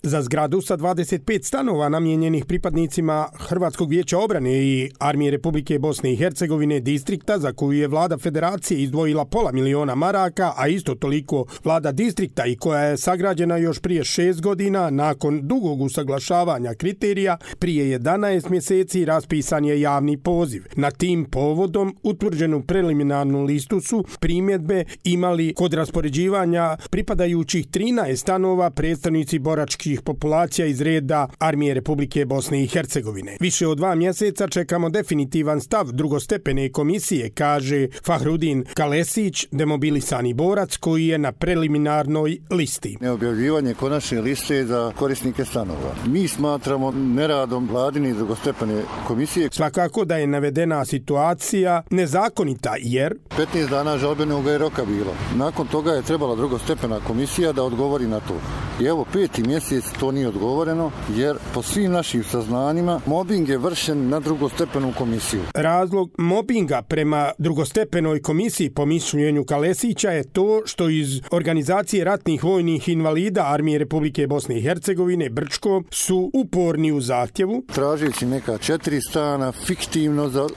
Za zgradu sa 25 stanova namijenjenih pripadnicima Hrvatskog vijeća obrane i Armije Republike Bosne i Hercegovine distrikta, za koju je vlada federacije izdvojila $500.000 maraka, a isto toliko vlada distrikta i koja je sagrađena još prije 6 godina nakon dugog usaglašavanja kriterija, prije 11 mjeseci raspisan je javni poziv. Na tim povodom utvrđenu preliminarnu listu su primjedbe imali kod raspoređivanja pripadajućih 13 stanova predstavnici boračkih populacija iz reda Armije Republike Bosne i Hercegovine. Više od 2 mjeseca čekamo definitivan stav drugostepene komisije, kaže Fahrudin Kalesić, demobilisani borac koji je na preliminarnoj listi. Neobjavljivanje konačne liste za korisnike stanova. Mi smatramo neradom vladine drugostepene komisije. Svakako da je navedena situacija nezakonita jer 15 dana žalbenog je roka bilo. Nakon toga je trebala drugostepena komisija da odgovori na to. I evo 5. mjesec to nije odgovoreno jer po svim našim saznanjima mobing je vršen na drugostepenu komisiju. Razlog mobinga prema drugostepenoj komisiji po mišljenju Kalesića je to što iz organizacije ratnih vojnih invalida Armije Republike Bosne i Hercegovine Brčko su uporni u zahtjevu. Tražeći neka 4 stana fiktivno za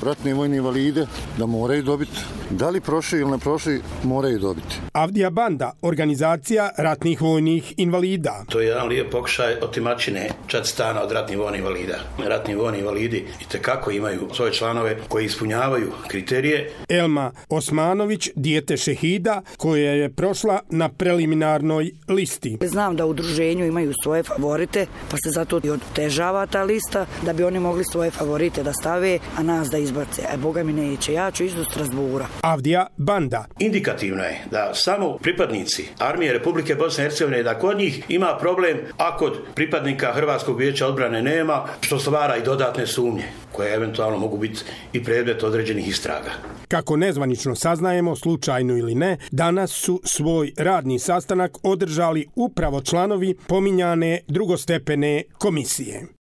ratne vojne invalide da moraju dobiti. Da li prošli ili ne prošli, moraju dobiti. Avdija Banda, organizacija ratnih vojnih invalida. To je jedan lijep pokušaj otimačine 4 stana od ratnih vojnih invalida. Ratni vojni invalidi itekako imaju svoje članove koji ispunjavaju kriterije. Elma Osmanović, dijete šehida, koja je prošla na preliminarnoj listi. Znam da u udruženju imaju svoje favorite, pa se zato i otežava ta lista da bi oni mogli svoje favorite da stave, a nas da izbace. Boga mi neće, ja ću ići do Strasbura. Avdija Banda. Indikativno je da samo pripadnici Armije Republike Bosne i Hercegovine, da kod njih ima problem, a kod pripadnika Hrvatskog vijeća odbrane nema, što stvara i dodatne sumnje koje eventualno mogu biti i predmet određenih istraga. Kako nezvanično saznajemo, slučajno ili ne, danas su svoj radni sastanak održali upravo članovi pominjane drugostepene komisije.